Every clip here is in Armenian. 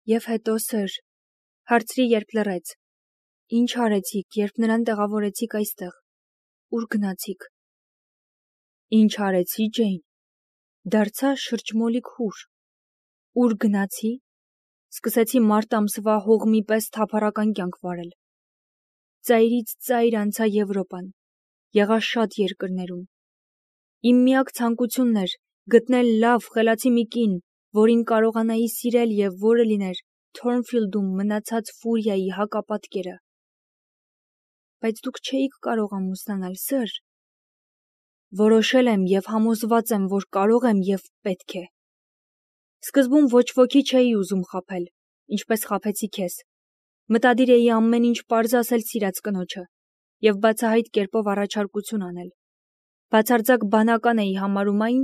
Եվ հետո սր, հարցրի, երբ լռեց. Ինչ արեցիք, երբ նրան տեղավորեցիք այստեղ, ուր գնացիք։ Ինչ արեցի, Ջեյն, դարձա շրջմոլիկ հուր։ Ուր գնացի, սկսեցի մարտ ամսվա հողմի պես թափառական կյանք վարել։ Ծայրից ծայր անցա Եվրոպան, եղա շատ երկրներում։ Իմ միակ ցանկությունն էր գտնել լավ, խելացի մի կին, որին կարողանայի սիրել և որը լիներ Թորնֆիլդում մնացած Ֆուրիայի հակապատկերը։ Բայց դուք չէիք կարող ամուսնանալ, սր։ Որոշել եմ և համոզված եմ, որ կարող եմ և պետք է։ Սկզբում ոչ ոքի չէի ուզում խաբել, ինչպես խաբեցի քեզ։ Մտադիր էի ամեն ինչ պարզ ասել սիրած կնոջը և բացահայտ կերպով առաջարկություն անել։ Բացարձակ բանական էի համարում այն,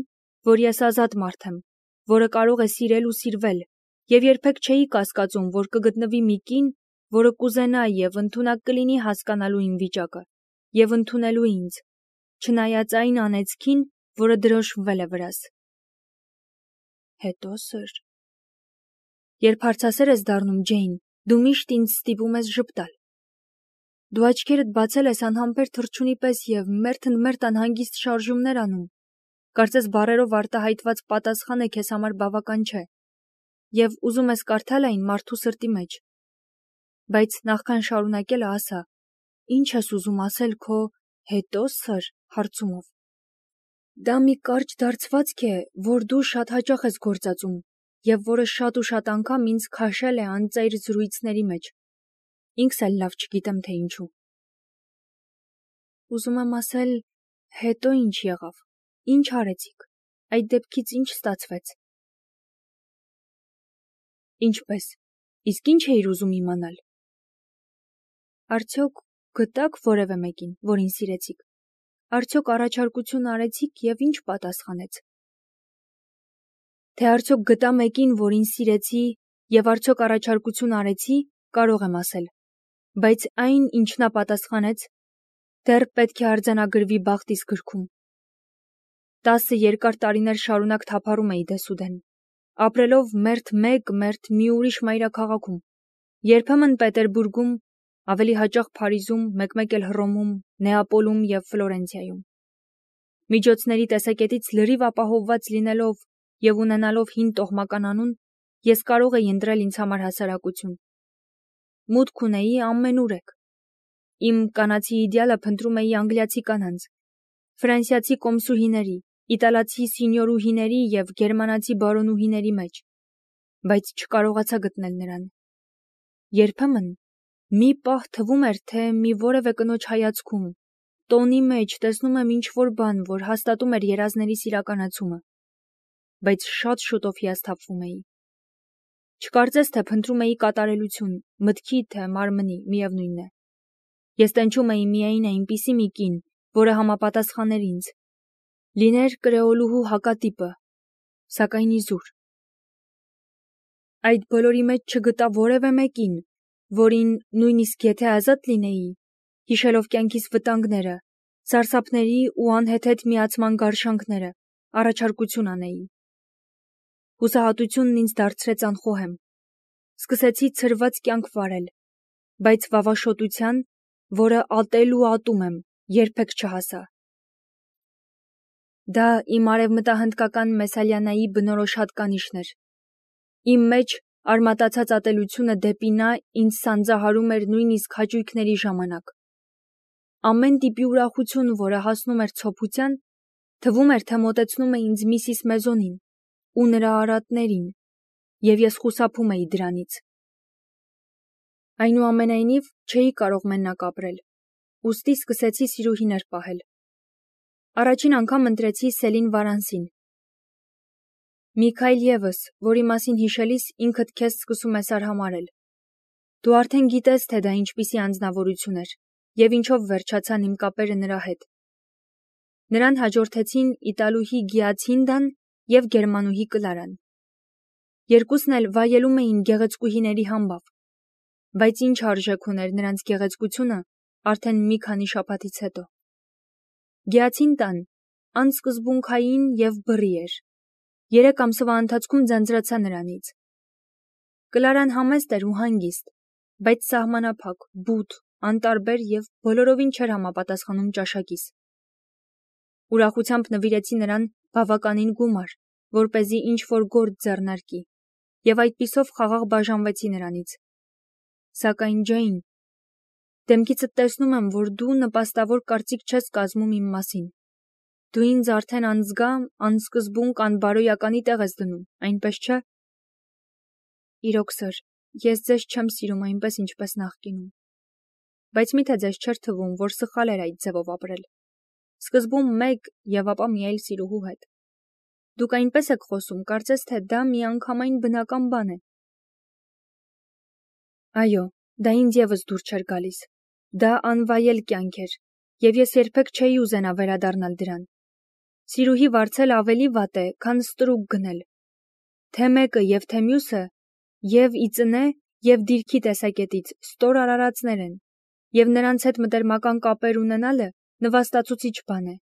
որ ես ազատ մարդ եմ, որը կարող է սիրել ու սիրվել, և երբեք չէի կասկածում, որ կգտնվի մի կին, որը կուզենա և ընդունակ կլինի հասկանալու իմ վիճակը և ընդունելու ինձ, չնայած այն անեծքին, որը դրոշմվել է վրաս։ Հետո սր։ Երբ հարցասեր ես դառնում, Ջեյն, դու միշտ ինձ ստիպում ես ժպտալ։ Դու աչքերդ բացել ես անհամբեր թռչունի պես և մերթ անհանգիստ շարժումներ անում։ Կարծես բառերով արտահայտված պատասխանը քեզ համար բավական չէ, և ուզում ես կարդալ այն մարդու սրտի մեջ։ Բայց նախքան շարունակելը ասա, ինչ ես ուզում ասել քո հետո սր հարցումով։ Դա մի կարճ դարձվածք է, որ դու շատ հաճախ ես գործածում, և որը շատ ու շատ անգամ ինձ քաշել է անծայր զրույցների մեջ։ Ինքս էլ լավ չգիտեմ, թե ինչու։ Ուզում եմ ասել, հետո ինչ եղավ, ինչ արեցիք, այդ դեպքից ինչ ստացվեց։ Ինչպես, իսկ ինչ էիր ուզում իմանալ։ Արդյոք գտաք որևէ մեկին, որին սիրեցիք։ Արդյոք առաջարկություն արեցիք և ինչ պատասխանեց։ Թե արդյոք գտա մեկին, որին սիրեցի և արդյոք առաջարկություն արեցի, կարող եմ ասել, բայց այն, ինչ նա պատասխանեց, դեռ պետք է արձանագրվի բախտիս գրքում։ 10 երկար տարիներ շարունակ թափառում էի դեսուդեն, ապրելով մերթ մեկ, մերթ մի ուրիշ մայրաքաղաքում, երբեմն Պետերբուրգում, ավելի հաճախ Փարիզում, մեկ-մեկ էլ Հռոմում, Նեապոլում և Ֆլորենցիայում։ Միջոցների տեսակետից լրիվ ապահովված լինելով և ունենալով հին տոհմական անուն, ես կարող էի ընտրել ինձ համար հասարակություն։ Մուտք ունեի ամենուրեք։ Իմ կանացի իդեալը փնտրում էի անգլիացի կանանց, ֆրանսիացի կոմսուհիների, իտալացի սինյորուհիների և գերմանացի բարոնուհիների մեջ, բայց չկարողացա գտնել նրան։ Երբեմն մի պահ թվում էր, թե մի որևէ կնոջ հայացքում, տոնի մեջ տեսնում եմ ինչ-որ բան, որ հաստատում էր երազներիս իրականացումը, բայց շատ շուտով հիասթափվում էի։ Չկարծես, թե փնտրում էի կատարելություն, մտքի, թե մարմնի, միևնույն է։ Ես տենչում էի միայն այնպիսի մի կին, որը համապատասխաներ ինձ, լիներ կրեոլուհու հակատիպը, սակայն իզուր։ Այդ բոլորի մեջ չգտա որևէ մեկին, որին, նույնիսկ եթե ազատ լինեի, հիշելով կյանքիս վտանգները, սարսափների ու անհեթեթ միացման գարշանքները, առաջարկություն անեի։ Հուսահատությունն ինձ դարձրեց անխոհեմ։ Սկսեցի ցրված կյանք վարել, բայց վավաշոտության, որը ատել ու ատում եմ, երբեք չհասա։ Դա իմ արևմտահնդկական Մեսալյանայի բնորոշ հատկանիշն էր։ Իմ մեջ արմատացած ատելությունը դեպի նա ինձ սանձահարում էր նույնիսկ հաճույքների ժամանակ։ Ամեն տիպի ուրախություն, որը հասնում էր ցոփության, թվում էր, թե մոտեցնում է ինձ Միսիս Մեզոնին ու նրա արատներին, և ես խուսափում էի դրանից։ Այնուամենայնիվ, չէի կարող մենակ ապրել, ուստի սկսեցի սիրուհիներ պահել։ Առաջին անգամ ընտրեցի Սելին Վարանսին։ Միքայել ևս, որի մասին հիշելիս ինքդ քեզ սկսում ես արհամարհել։ Դու արդեն գիտես, թե դա ինչպիսի անձնավորություն էր և ինչով վերջացան իմ կապերը նրա հետ։ Նրան հաջորդեցին իտալուհի Գիացինդան և գերմանուհի Կլարան։ Երկուսն էլ վայելում էին գեղեցկուհիների համբավ, բայց ինչ արժեք ուներ նրանց գեղեցկությունը արդեն մի քանի շաբաթից հետո։ Գիացինտան անսկզբունքային և բռի էր։ 3 ամսվա ընթացքում ձանձրացա նրանից։ Կլարան համեստ էր ու հանգիստ, բայց սահմանափակ, բութ, անտարբեր և բոլորովին չէր համապատասխանում ճաշակիս։ Ուրախությամբ նվիրեցի նրան բավականին գումար, որպեսզի ինչ-որ գործ ձեռնարկի, և այդպիսով խաղաղ բաժանվեցի նրանից։ Սակայն Ջեյն, դեմքիցդ տեսնում եմ, որ դու նպաստավոր կարծիք չես կազմում իմ մասին։ Դու ինձ արդեն անզգա, անսկզբունք, անբարոյականի տեղ ես դնում, այնպես չէ՞։ Իրոք, սըր, ես ձեզ չեմ սիրում այնպես, ինչպես նախկինում։ Բայց միթե ձեզ չէր թվում, որ սխալ էր այդ ձևով ապրել։ Սկզբում մեկ և ապա մի այլ սիրուհու հետ։ Դուք այնպես եք խոսում, կարծես թե դա միանգամայն բնական բան է։ Այո, դա ինձ ևս դուր չէր գալիս։ Դա անվայել կյանք էր, և ես երբեք չէի ուզենա վերադառնալ դրան։ Սիրուհի վարձել ավելի վատ է, քան ստրուկ գնել։ Թե մեկը և թե մյուսը և ի ծնե, և դիրքի տեսակետից ստոր արարածներ են, և նրանց հետ մտերմական կապեր ունենալը նվաստացուցիչ բան է։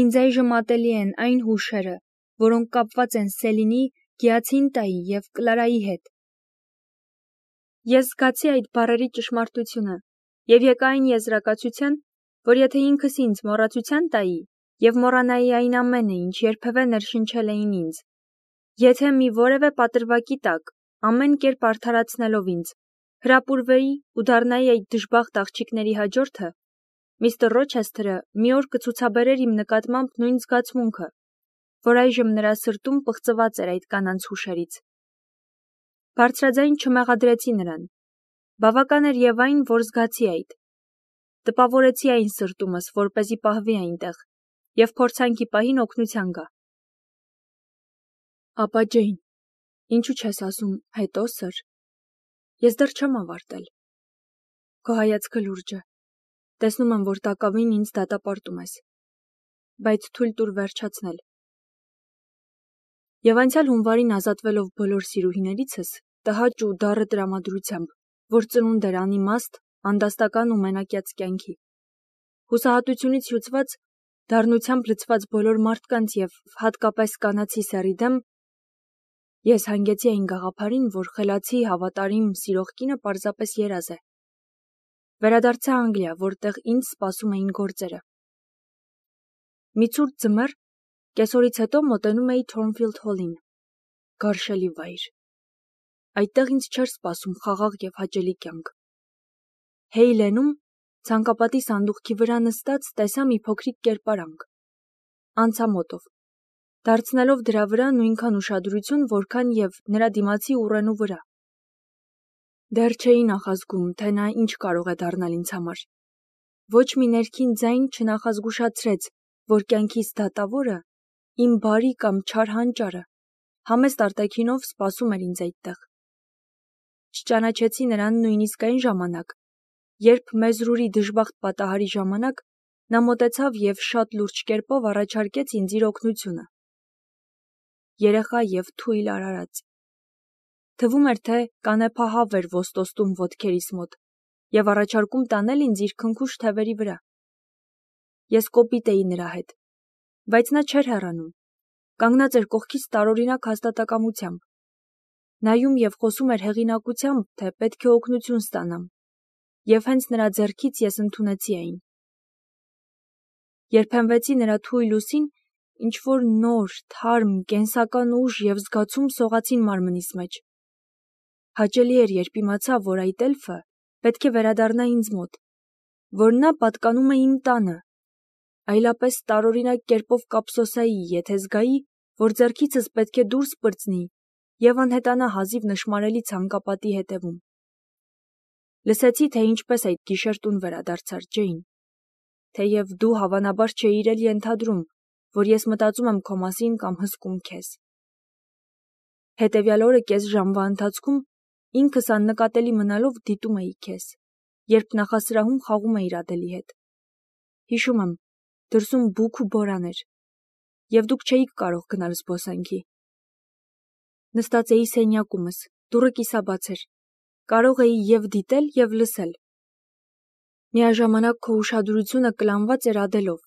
Ինձ այժմ ատելի են այն հուշերը, որոնք կապված են Սելինի, Գիացինտայի և Կլարայի հետ։ Ես զգացի այդ բառերի ճշմարտությունը և եկա այն եզրակացության, որ եթե ինքս ինձ մոռացության տայի և մոռանայի այն ամենը, ինչ երբևէ ներշնչել էին ինձ, եթե մի որևէ պատրվակի տակ, ամեն կերպ արդարացնելով ինձ, հրապուրվեի ու դառնայի այդ դժբախտ աղջիկների հաջորդը, միստր Ռոչեսթերը մի օր կցուցաբերեր իմ նկատմամբ նույն զգացմունքը, որ այժմ նրա սրտում պղծված էր այդ կանանց հուշերից։ Բարձրաձայն չմեղադրեցի նրան։ Բավական էր և այն, որ զգացի այդ։ Տպավորեցի այն սրտումս, որպեսզի պահվի այնտեղ, և փորձանքի պահին օգնության գա։ Ապա Ջեյն, ինչու չես ասում հետո, սըր։ Ես դեռ չեմ ավարտել։ Քո հայացքը լուրջ է։ Տեսնում եմ, որ տակավին ինձ դատապարտում ես։ Բայց թույլ տուր վերջացնել։ Եվ անցյալ հունվարին ազատվելով բոլոր սիրուհիներիցս, տհաճ ու դառը տրամադրությամբ, որ ծնունդ էր անիմաստ, անդաստական ու մենակյաց կյանքի, հուսահատությունից հյուծված, դառնությամբ լցված բոլոր մարդկանց և հատկապես կանացի սեռի դեմ, ես հանգեցի այն գաղափարին, որ խելացի, հավատարիմ, սիրող կինը պարզապես երազ է։ Վերադարձա Անգլիա, որտեղ ինձ սպասում էին գործերը։ Մի ցուրտ ձմեռ, կեսօրից հետո մոտենում էի Թորնֆիլդ Հոլին, գարշելի վայր։ Այդտեղ ինձ չէր սպասում խաղաղ և հաճելի կյանք։ Հեյլենում, ցանկապատի սանդուղքի վրա նստած, տեսա մի փոքրիկ կերպարանք։ Անցա մոտով, դարձնելով դրա վրա նույնքան ուշադրություն, որքան և նրա դիմացի ուռենու վրա։ Դեռ չէի նախազգում, թե նա ինչ կարող է դառնալ ինձ համար։ Ոչ մի ներքին ձայն չնախազգուշացրեց, որ կյանքիս դատավորը, իմ բարի կամ չար հանճարը, համեստ արտաքինով սպասում էր ինձ այդտեղ։ Չճանաչեցի նրան նույնիսկ այն ժամանակ, երբ Մեզրուրի դժբախտ պատահարի ժամանակ նա մոտեցավ և շատ լուրջ կերպով առաջարկեց ինձ իր օգնությունը։ Երեխա և թույլ արարած։ Թվում էր, թե կանեփահավ էր ոստոստում ոտքերիս մոտ և առաջարկում տանել ինձ իր քնքուշ թևերի վրա։ Ես կոպիտ էի նրա հետ, բայց նա չէր հեռանում, կանգնած էր կողքից տարօրինակ հաստատակամությամբ, նայում և խոսում էր հեղինակությամբ, թե պետք է օգնություն ստանամ, և հենց նրա ձեռքից ես ընդունեցի այն։ Երբ հենվեցի նրա թույլ ուսին, ինչ-որ նոր, թարմ, կենսական ուժ և զգացում սողացին մարմնիս մեջ։ Հաճելի էր, երբ իմացա, որ այդ էլֆը պետք է վերադառնա ինձ մոտ, որ նա պատկանում է իմ տանը, այլապես տարօրինակ կերպով կափսոսայի, եթե զգայի, որ ձեռքիցս պետք է դուրս պրծնի և անհետանա հազիվ նշմարելի ցանկապատի հետևում։ Լսեցի, թե ինչպես այդ գիշեր տուն վերադարձար Ջեյն, թեև դու հավանաբար չէիր էլ ենթադրում, որ ես մտածում եմ քո մասին կամ հսկում քեզ։ Հետևյալ օրը կես ժամվա ընթացքում ինքս աննկատելի մնալով դիտում էի քեզ, երբ նախասրահում խաղում էիր Ադելի հետ։ Հիշում եմ, դրսում բուք ու բորան էր, և դուք չէիք կարող գնալ զբոսանքի։ Նստած էի սենյակումս, դուռը կիսաբաց էր, կարող էի և դիտել, և լսել։ Միաժամանակ քո ուշադրությունը կլանված էր Ադելով,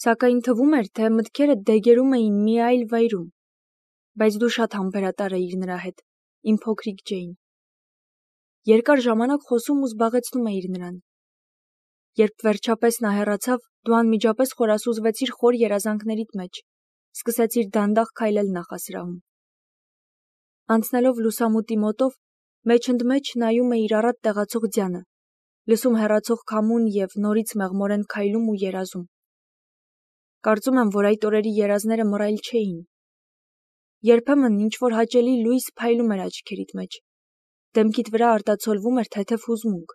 սակայն թվում էր, թե մտքերդ դեգերում էին մի այլ վայրում, բայց դու շատ համբերատար էիր նրա հետ, իմ փոքրիկ Ջեյն։ Երկար ժամանակ խոսում ու զբաղեցնում էիր նրան։ Երբ վերջապես նա հեռացավ, դու անմիջապես խորասուզվեցիր խոր երազանքներիդ մեջ, սկսեցիր դանդաղ քայլել նախասրահում։ Անցնելով լուսամուտի մոտով, մեջընդմեջ նայում էիր առատ տեղացող ձյանը, լսում հեռացող քամուն և նորից մեղմորեն քայլում ու երազում։ Կարծում եմ, որ այդ օրերի երազները մռայլ չէին։ Երբեմն ինչ-որ հաճելի լույս փայլում էր աչքերիդ մեջ, դեմքիդ վրա արտացոլվում էր թեթև հուզմունք,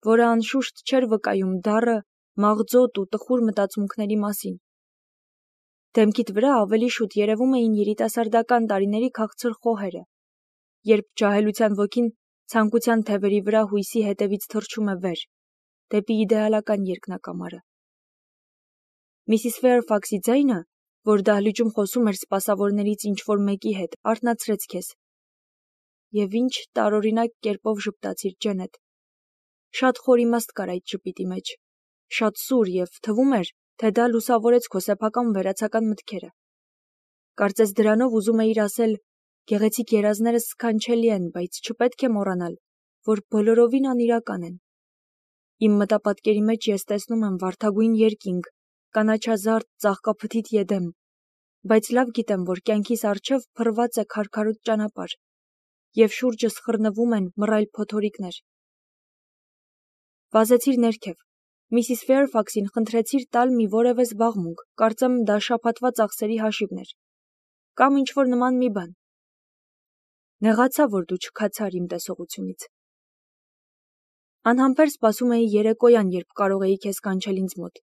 որը անշուշտ չէր վկայում դառը, մաղձոտ ու տխուր մտածմունքների մասին։ Դեմքիդ վրա ավելի շուտ երևում էին երիտասարդական տարիների քաղցր խոհերը, երբ ջահելության ոգին ցանկության թևերի վրա հույսի հետևից թռչում է վեր, դեպի իդեալական երկնակամարը։ Միսիս Ֆեյրֆաքսի ձայնը, որ դահլիճում խոսում էր սպասավորներից ինչ-որ մեկի հետ, արթնացրեց քեզ։ Եվ ինչ տարօրինակ կերպով ժպտացիր, Ջենետ։ Շատ խոր իմաստ կար այդ ժպիտի մեջ, շատ սուր, և թվում էր, թե դա լուսավորեց քո սեփական վերացական մտքերը։ Կարծես դրանով ուզում էիր ասել, գեղեցիկ երազներս սքանչելի են, բայց չպետք է մոռանալ, որ բոլորովին անիրական են։ Իմ մտապատկերի մեջ ես տեսնում եմ վարդագույն երկինք, կանաչազարդ ծաղկափթիթ Եդեմ, բայց լավ գիտեմ, որ կյանքիս առջև փռված է քարքարոտ ճանապարհ, և շուրջս խռնվում են մռայլ փոթորիկներ։ Վազեցիր ներքև, Միսիս Ֆեյրֆաքսին խնդրեցիր տալ մի որևէ զբաղմունք, կարծեմ դա շաբաթվա ծախսերի հաշիվն էր, կամ ինչ-որ նման մի բան։ Նեղացա, որ դու չքացար իմ տեսողությունից։ Անհամբեր սպասում էի երեկոյան, երբ կարող էի քեզ կանչել ինձ մոտ։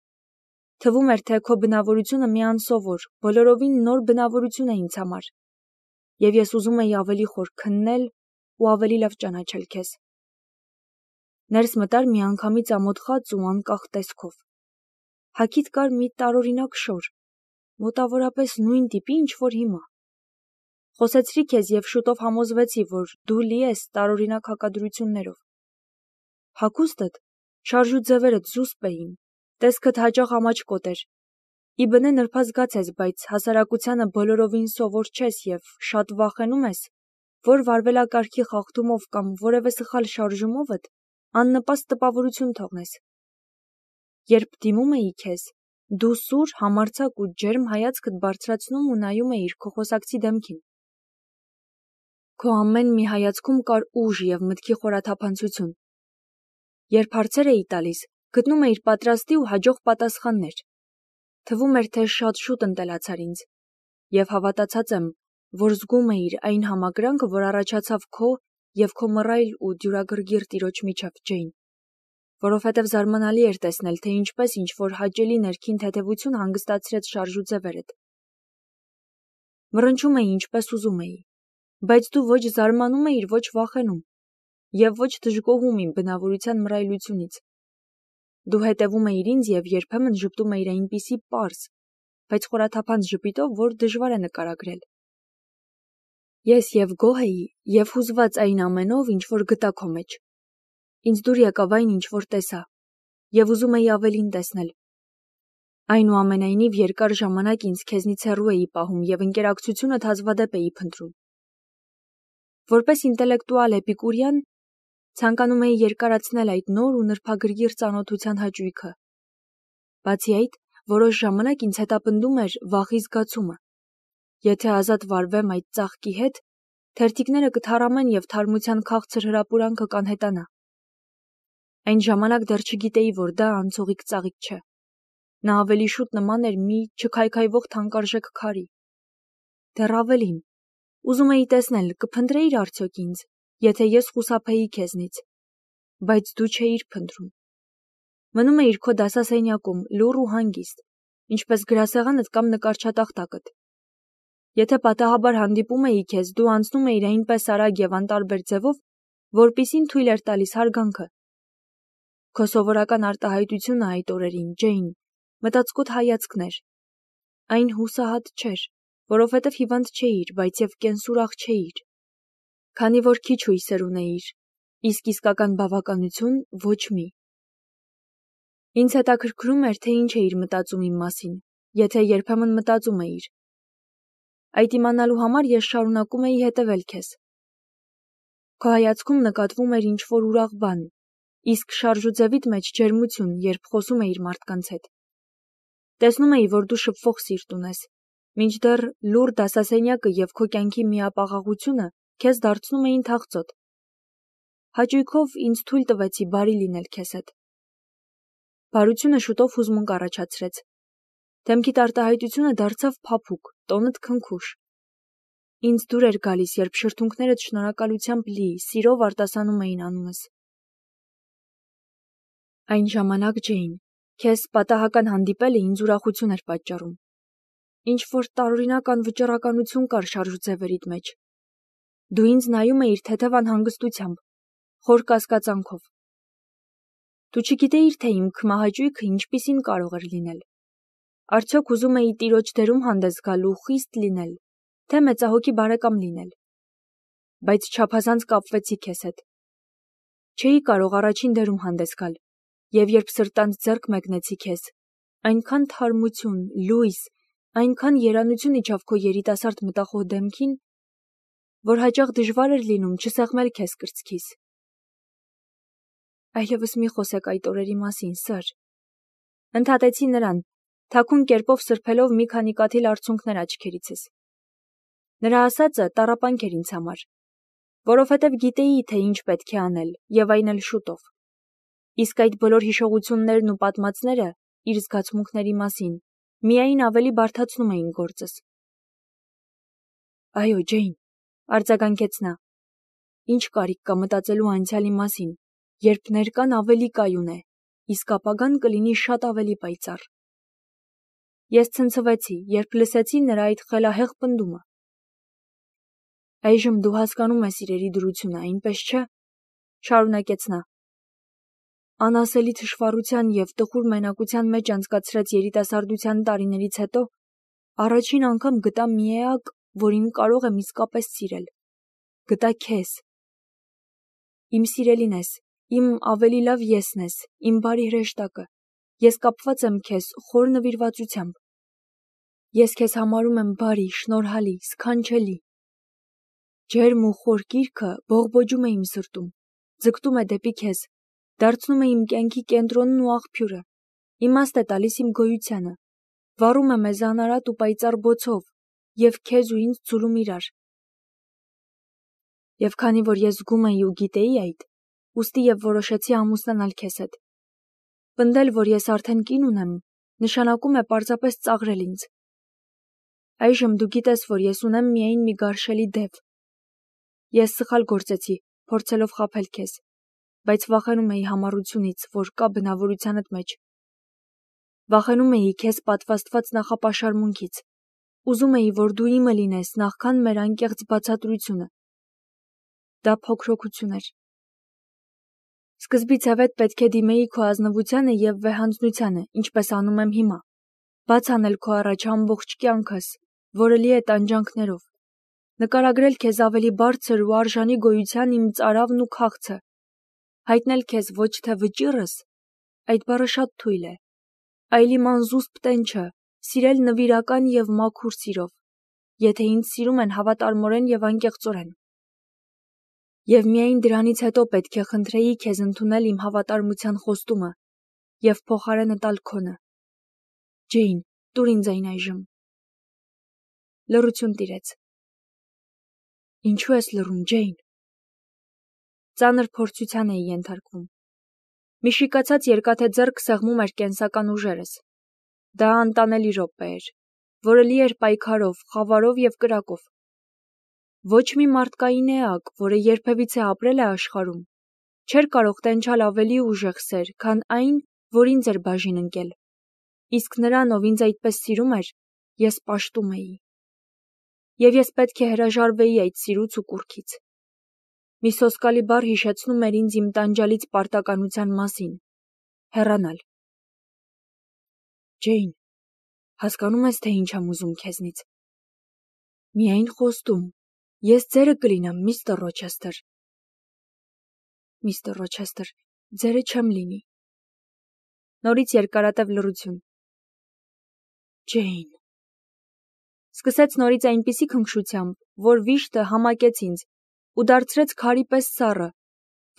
Թվում էր, թե քո բնավորությունը մի անսովոր, բոլորովին նոր բնավորություն է ինձ համար, և ես ուզում էի ավելի խոր քննել ու ավելի լավ ճանաչել քեզ։ Ներս մտար միանգամից ամոթխած ու անկախ տեսքով։ Հագիդ կար մի տարօրինակ շոր, մոտավորապես նույն տիպի, ինչ որ հիմա։ Խոսեցրի քեզ և շուտով համոզվեցի, որ դու լի ես տարօրինակ հակադրություններով։ Հագուստդ, շարժու ձևերդ զուսպ էին, տեսքդ հաճախ ամաչկոտ էր։ Ի բնե նրբազգաց ես, բայց հասարակությանը բոլորովին սովոր չես և շատ վախենում ես, որ վարվելակարգի խախտումով կամ որևէ սխալ շարժումովդ աննպաստ տպավորություն թողնես։ Երբ դիմում էի քեզ, դու սուր, համարձակ ու ջերմ հայացքդ բարձրացնում ու նայում էիր քո խոսակցի դեմքին։ Քո ամեն մի հայացքում կար ուժ և մտքի խորաթափանցություն։ Երբ հարցեր էի տալիս, գտնում էիր պատրաստի ու հաջող պատասխաններ։ Թվում էր, թե շատ շուտ ընտելացար ինձ, և հավատացած եմ, որ զգում էիր այն համակրանքը, որ առաջացավ քո և քո մռայլ ու դյուրագրգիռ տիրոջ միջև, Ջեյն, որովհետև զարմանալի էր տեսնել, թե ինչպես ինչ-որ հաճելի ներքին թեթևություն հանգստացրեց շարժու ձևերդ։ Մռնչում էի, ինչպես ուզում էի, բայց դու ոչ զարմանում էիր, ոչ վախենում, և ոչ դժգոհում իմ բնավորության մռայլությունից։ Դու հետևում էիր ինձ և երբեմն ժպտում էիր այնպիսի պարզ, բայց խորաթափանց ժպիտով, որ դժվար է նկարագրել։ Ես և գոհ էի, և հուզված այն ամենով, ինչ որ գտա քո մեջ։ Ինձ դուր եկավ այն, ինչ որ տեսա, և ուզում էի ավելին տեսնել։ Այնուամենայնիվ երկար ժամանակ ինձ քեզնից հեռու էի պահում և ընկերակցությունդ հազվադեպ էի փնտրում։ Որպես ինտելեկտուալ էպիկուրյան, ցանկանում էի երկարացնել այդ նոր ու նրբագրգիռ ծանոթության հաճույքը։ Բացի այդ, որոշ ժամանակ ինձ հետապնդում էր վախի զգացումը։ Եթե ազատ վարվեմ այդ ծաղկի հետ, թերթիկները կթառամեն և թարմության քաղցր հրապուրանքը կանհետանա։ Այն ժամանակ դեռ չգիտեի, որ դա անցողիկ ծաղիկ չէ։ Նա ավելի շուտ նման էր մի չքայքայվող թանկարժեք քարի։ Դեռ ավելին, ուզում էի տեսնել, կփնտրեիր արդյոք ինձ, եթե ես խուսափեի քեզնից, բայց դու չէիր փնտրում։ Մնում էիր քո դասասենյակում, լուռ ու հանգիստ, ինչպես գրասեղանդ կամ նկարչատախտակդ։ Եթե պատահաբար հանդիպում էի քեզ, դու անցնում էիր այնպես արագ և անտարբեր ձևով, որպիսին թույլ էր տալիս հարգանքը։ Քո սովորական արտահայտությունը այդ օրերին, Ջեյն, մտածկոտ հայացքն էր։ Այն հուսահատ չէր, որովհետև հիվանդ չէիր, բայց և կենսուրախ չէիր։ Քանի որ քիչ հույսեր ունեիր, իսկ իսկական բավականություն ոչ մի։ Ինձ հետաքրքրում էր, թե ինչ էիր մտածում իմ մասին, եթե երբեմն մտածում էիր։ Այդ իմանալու համար ես շարունակում էի հետևել քեզ։ Քո հայացքում նկատվում էր ինչ-որ ուրախ բան, իսկ շարժուձևիդ մեջ ջերմություն, երբ խոսում էիր մարդկանց հետ։ Տեսնում էի, որ դու շփվող սիրտ ունես, մինչդեռ լուռ դասասենյակը և քո կյանքի միապաղաղությունը քեզ դարձնում էին թախծոտ։ Հաճույքով ինձ թույլ տվեցի բարի լինել քեզ հետ։ Բարությունը շուտով հուզմունք առաջացրեց։ Դեմքիդ արտահայտությունը դարձավ փափուկ, տոնդ քնքուշ։ Ինձ դուր էր գալիս, երբ շրթունքներդ շնորհակալությամբ լի, սիրով արտասանում էին անունս։ Այն ժամանակ, Ջեյն, քեզ պատահական հանդիպելը ինձ ուրախություն էր պատճառում։ Ինչ-որ տարօրինակ անվճռականություն կար շարժուձևերիդ մեջ։ Դու ինձ նայում էիր թեթև անհանգստությամբ, խոր կասկածանքով։ Դու չգիտեիր, թե իմ քմահաճույքը ինչպիսին կարող էր լինել։ Արդյոք ուզում էի տիրոջ դերում հանդես գալ ու խիստ լինել, թե մեծահոգի բարեկամ լինել։ Բայց չափազանց կապվեցի քեզ հետ։ Չէի կարող առաջին դերում հանդես գալ, և երբ սրտանց ձեռք մեկնեցի քեզ, այնքան թարմություն, լույս, այնքան երանություն իջավ քո երիտասարդ մտախոհ դեմքին, որ հաճախ դժվար էր լինում չսեղմել քեզ կրծքիս։ Այլևս մի խոսեք այդ օրերի մասին, սըր։ Ընդհատեցի նրան, թաքուն կերպով սրբելով մի քանի կաթիլ արցունքներ աչքերիցս։ Նրա ասածը տառապանք էր ինձ համար, որովհետև գիտեի, թե ինչ պետք է անել, և այն էլ շուտով։ Իսկ այդ բոլոր հիշողություններն ու պատմածները իր զգացմունքների մասին միայն ավելի բարդացնում էին գործս։ Այո, Ջեյն, արձագանքեց նա, ինչ կարիք կա մտածելու անցյալի մասին, երբ ներկան ավելի կայուն է, իսկ ապագան կլինի շատ ավելի պայծառ։ Ես ցնցվեցի, երբ լսեցի նրա այդ խելահեղ պնդումը։ Այժմ դու հասկանում ես իրերի դրությունը, այնպես չէ՞, շարունակեց նա։ Անասելի թշվառության և տխուր մենակության մեջ անցկացրած երիտասարդության տարիներից հետո առաջին անգամ գտա մի էակ, որին կարող եմ իսկապես սիրել։ Գտա քեզ։ Իմ սիրելին ես, իմ ավելի լավ եսն ես, իմ բարի հրեշտակը։ Ես կապված եմ քեզ խոր նվիրվածությամբ։ Ես քեզ համարում եմ բարի, շնորհալի, սքանչելի։ Ջերմ ու խոր կիրքը բողբոջում է իմ սրտում, ձգտում է դեպի քեզ, դարձնում է իմ կյանքի կենտրոնն ու աղբյուրը, իմաստ է տալիս իմ գոյությանը, վառում է մեզ անարատ ու պայծառ բոցով և քեզ ու ինձ ձուլում իրար։ Եվ քանի որ ես զգում էի ու գիտեի այդ, ուստի և որոշեցի ամուսնանալ քեզ հետ։ Պնդել, որ ես արդեն կին ունեմ, նշանակում է պարզապես ծաղրել ինձ։ Այժմ դու գիտես, որ ես ունեմ միայն մի գարշելի դև։ Ես սխալ գործեցի, փորձելով խաբել քեզ, բայց վախենում էի համառությունից, որ կա բնավորությանդ մեջ։ Վախենում էի քեզ պատվաստված նախապաշարմունքից։ Ուզում էի, որ դու իմը լինես նախքան մեր անկեղծ բացատրությունը։ Դա փոքրոքություն էր։ Սկզբից հավետ պետք է դիմեի քո ազնվությանը և վեհանձնությանը, ինչպես անում եմ հիմա։ Բաց անել քո առաջ ամբողջ կյանքս, որը լի է տանջանքներով։ Նկարագրել քեզ ավելի բարձր ու արժանի գոյության իմ ծարավն ու քաղցը։ Հայտնել քեզ ոչ թե վճիռս, այդ բառը շատ թույլ է, այլ իմ անզուսպ տենչը, սիրել նվիրական և մաքուր սիրով, եթե ինձ սիրում են հավատարմորեն և անկեղծորեն։ Եվ միայն դրանից հետո պետք է խնդրեի քեզ ընդունել իմ հավատարմության խոստումը և փոխարենը տալ քոնը։ Ջեյն, տուր ինձ այն այժմ։ Լռություն տիրեց։ Ինչու ես լռում, Ջեյն։ Ծանր փորձության էի ենթարկվում։ Մի շիկացած երկաթե ձեռք սեղմում էր կենսական ուժերս։ Դա անտանելի րոպե էր, որը լի էր պայքարով, խավարով և կրակով։ Ոչ մի մարդկային էակ, որը երբևիցե ապրել է աշխարհում, չէր կարող տենչալ ավելի ուժեղ սեր, քան այն, որ ինձ էր բաժին ընկել։ Իսկ նրան, ով ինձ այդպես սիրում էր, ես պաշտում էի։ Եվ ես պետք է հրաժարվեի այդ սիրուց ու կուռքից։ Մի սոսկալի բառ հիշեցնում էր ինձ իմ տանջալից պարտականության մասին։ Հեռանալ։ Ջեյն, հասկանում ես, թե ինչ եմ ուզում քեզնից։ Միայն խոստում։ Ես ձերը կլինեմ, միստր Ռոչեսթեր։ Միստր Ռոչեսթեր, ձերը չեմ լինի։ Նորից երկարատև լռություն։ Ջեյն։ Սկսեց նորից այնպիսի քնքշությամբ, որ վիշտը համակեց ինձ, ու դարձրեց քարի պես սառը,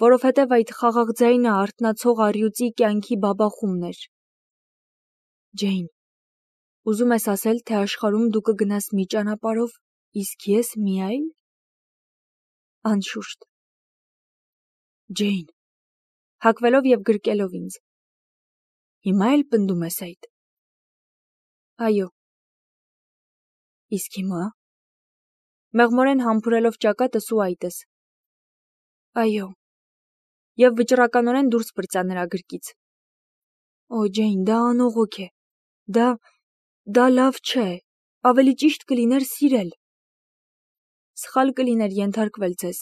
որովհետև այդ խաղաղ ձայնը արթնացող առյուծի կյանքի բաբախումն էր։ Ջեյն, ուզում ես ասել, թե աշխարհում դու կգնաս մի ճանապարհով, իսկ ես մի այլ։ Անշուշտ։ Ջեյն, հագվելով և գրկելով ինձ։ Հիմա էլ պնդում ես այդ։ Այո։ Իսկ հիմա։ Մեղմորեն համբուրելով ճակատս ու այտս։ Այո։ Եվ վճռականորեն դուրս պրծա նրա գրկից։ Օ, Ջեյն, դա անողոք է։ Դա լավ չէ։ Ավելի ճիշտ կլիներ սիրել։ Սխալ կլիներ ենթարկվել ձեզ։